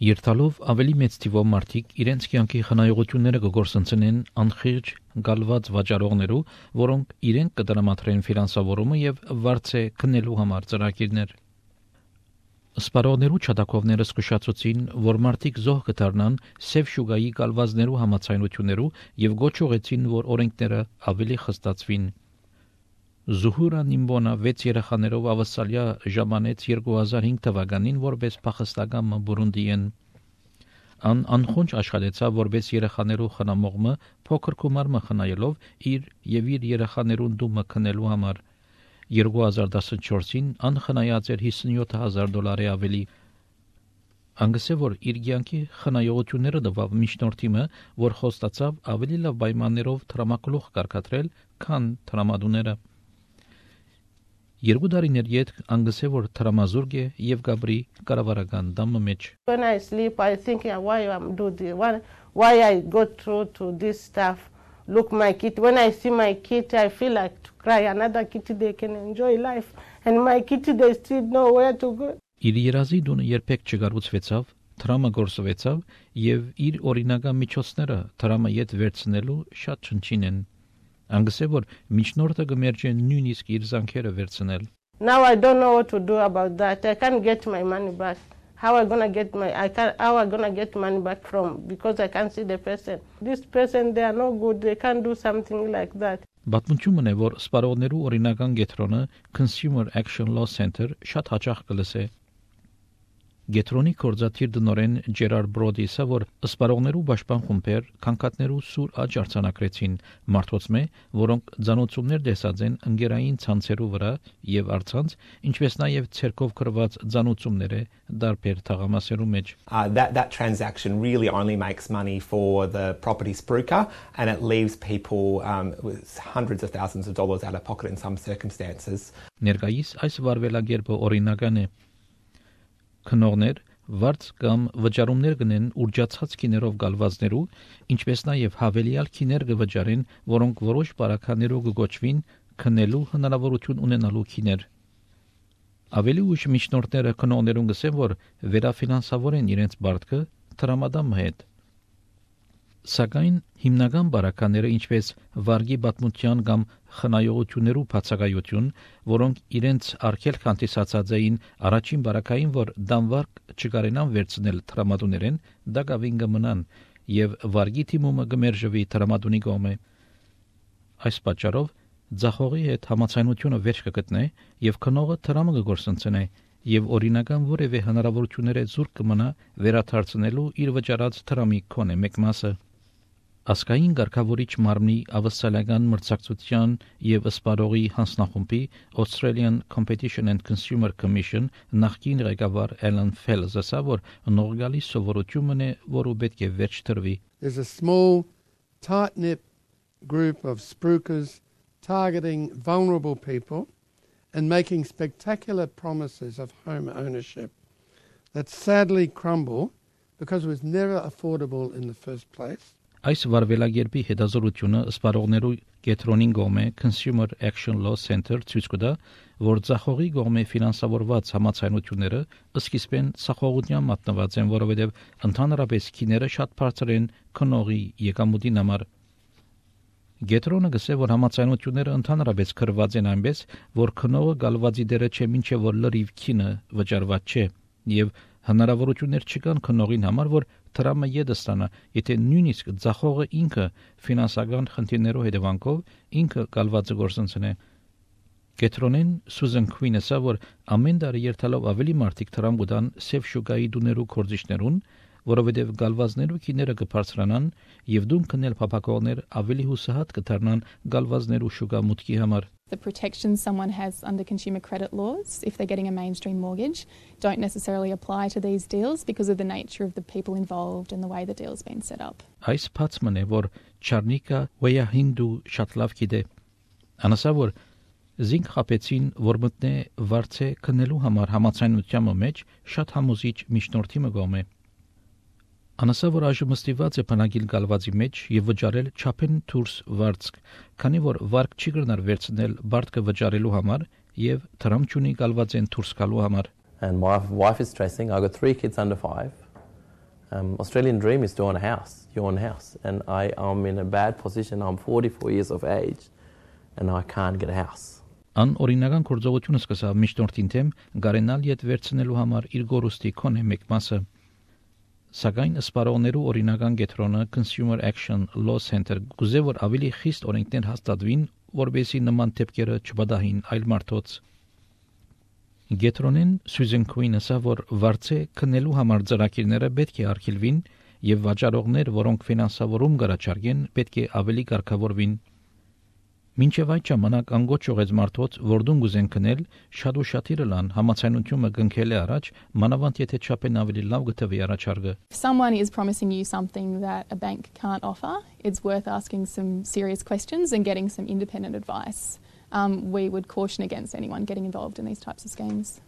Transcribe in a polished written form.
Երթալով ավելի մեծ թիվով մարդիկ իրենց կյանքի խնայողությունները կգործընծնեն անխիղճ գալված վաճառողներու, որոնք իրենք կդրամատրեն ֆինանսավորումը եւ վարձե քննելու համար ծրագիրներ։ Սպառողներու չադակովները զսկուշացուցին, որ մարդիկ զոհ կդառնան սև շուգայի գալվածներու համաձայնություններու եւ գոչուղեցին, որ օրենքները ավելի խստացվին։ Զուհուրա Նիմբոնա 6 երեխաներով ավասալյա ժամանեց 2005 թվականին որպես փախստական Բուրունդիեն։ Ան անխոնջ աշխատեցավ որպես երեխաներու խնամողը փոքր գումարը խնայելով իր եւ իր երեխաներուն դումը քնելու համար։ 2014-ին ան խնայած էր $57,000 ավելի։ Անգսե որ իր կյանքի խնայողությունները տվավ միջնորդիմը, որ խոստացավ ավելի լավ պայմաններով տրամակլուխ կարգադրել, քան տրամադուները։ 2 տարիներ յետ անգսե որ տրամազուրգ է եւ գաբրի կառավարական դամը մեջ։ When I sleep, I think why I'm do this, why I go through to this stuff. Look, my kid. When I see my kid, I feel like to cry. Another kid, they can enjoy life, and my kid, they still know where to go. Իր երազի դունը երբեք չգառուցվեցավ, տրամը գործվեցավ եւ իր օրինական միջոցները տրամը յետ վերցնելու շատ չնչին են։ Անգսե որ միջնորդը կմերջե նույնիսկ իր զանքերը վերցնել։ Now I don't know what to do about that. I can't get my money back. How I gonna get money back from, because I can't see the person. This person, they are no good. They can't do something like that. Պատմությունն է, որ սպառողներու օրինական գետրոնը Consumer Action Law Center շատ հաճախ կլսե։ Գետրոնի կորզաթիր դնորեն Ջերար Բրոդիսը, որ սպառողներու պաշտպան խումբեր քանքատներու սուր աճ արձանագրեցին մարդոցմե, որոնք ցանոցումներ դեսած են ընկերային ցանցերու վրա եւ արցանց, ինչպես նաեւ ցերկով կրված ցանոցումները դարբեր թաղամասերու մեջ։ That transaction really only makes money for the property spruiker, and it leaves people with hundreds of thousands of dollars out of pocket in some circumstances. Ներկայիս այս վարվելագերբը օրինական է։ Քնողներ վարձ կամ վճարումներ գնեն ուրջացած քիներով գալվածներու, ինչպես նաև հավելյալ քիներ կվճարեն, որոնք որոշ բարականերով կգոչվին քնելու հնարավորություն ունենալու քիներ։ Ավելի ուշ միջնորդները քնողներուն գսեն, որ վերաֆինանսավորեն իրենց բարտքը տրամադամ հետ։ Սակայն հիմնական բարակաները, ինչպես վարգի պատմության կամ խնայողություններու բացակայություն, որոնք իրենց արգելք հանդիսացած էին առաջին բարակային, որ դանվարկ չկարենան վերցնել տրամադուներեն, դա գավին կմնան եւ վարգի թիմումը կմերժվի տրամադունի կողմը։ Այս պատճառով ձախողի հետ համացայնությունը վերջ կգտնե եւ քնողը տրամը կգործընծնե եւ օրինական որևէ հնարավորությունները զուրկ կմնա վերաթարցնելու իր վճարած տրամի քոնե մեկ մասը։ Ասկային ղեկավարիչ մարմնի ավասալական մրցակցության եւ սպառողի հանձնախումբի Australian Competition and Consumer Commission նախկին ղեկավար Alan Fels ասա, որ նորգալի սովորությունն է, որը պետք է վերջ տրվի։ There's a small, tight-knit group of spruikers targeting vulnerable people and making spectacular promises of home ownership that sadly crumble because it was never affordable in the first place. Այս վարվելագերբի հետազորությունը սպառողներու կետրոնին գոմե Consumer Action Law Center ցույց կտա, որ ցախողի գոմե ֆինանսավորված համացայնությունները սկիզբեն ցախողության մատնված են, որովհետև ընդհանրապես քիները շատ բարձր են քնողի եկամուտին համար։ Գետրոնը գսե, որ համացայնությունները ընդհանրապես կրված են այնպես, որ քնողը գալվածի դերը չէ, մինչև որ լրիվ քինը վճարված չէ, եւ հնարավորություններ չկան քնողին համար, որ տրամը յետստանա, եթե նույնիսկ ցախողը ինքը ֆինանսական խնդիրներով հետևանքով ինքը գալվածը գործընծնե։ Գետրոնեն Սուզան Քվինեսը, որ ամեն տարի երթալով ավելի մարդիկ տրամ գտան սև շուկայի դուներու կորձիչներուն, որովհետև գալվածներու քիները կբարձրանան եւ դուն քնել փապակողներ ավելի հուսահատ կդառնան գալվածներու շուկա մուտքի համար։ The protections someone has under consumer credit laws, if they're getting a mainstream mortgage, don't necessarily apply to these deals because of the nature of the people involved and the way the deal's been set up. Այս փածմն է, որ Չարնիկա Վեյահինդու շատ լավ գիտե։ Անասա որ զինք խապեցին, որ մտնե վարձե քնելու համար համացայնության մեջ շատ համոզիչ միջնորդի մգոմ է։ Անասա որ այժմ ստիված է բնակիլ գալվածի մեջ եւ վճարել չափեն դուրս վարձք, քանի որ վարկ չի գնար վերցնել բարտքը վճարելու համար եւ տրամ չունի գալված են դուրս գալու համար։ And my wife is stressing. I've got 3 kids under 5. Australian dream is to own a house, your own house. And I am in a bad position. I'm 44 years of age and I can't get a house. Ան օրինական գործողությունը սկսավ միջնորդին թեմ գարենալ յետ վերցնելու համար իր գորուստի քոնե մեկ մասը։ Սակայն սպառողներու օրինական գետրոնը Consumer Action Law Center գուզե որ ավելի խիստ օրենքներ հաստատվին, որբեսի նման դեպքերը չբադահին այլ մարդոց։ Գետրոնեն Սյուզեն Քուինը ասա որ վարձե քննելու համար ծրագիրները պետք է արգելվին եւ վաճառողներ, որոնք ֆինանսավորում կառաջարկեն, պետք է ավելի կարգավորվին։ Մինչև այդ ժամանակ անգոչ ողեց մարդոց, որ դուն գուզեն քնել, շատ ու շատիրը լան համացանությունը գնքել է առաջ, մանավանդ եթե չափեն ավելի լավ գտվի առաջարկը։ If someone is promising you something that a bank can't offer, it's worth asking some serious questions and getting some independent advice. We would caution against anyone getting involved in these types of schemes.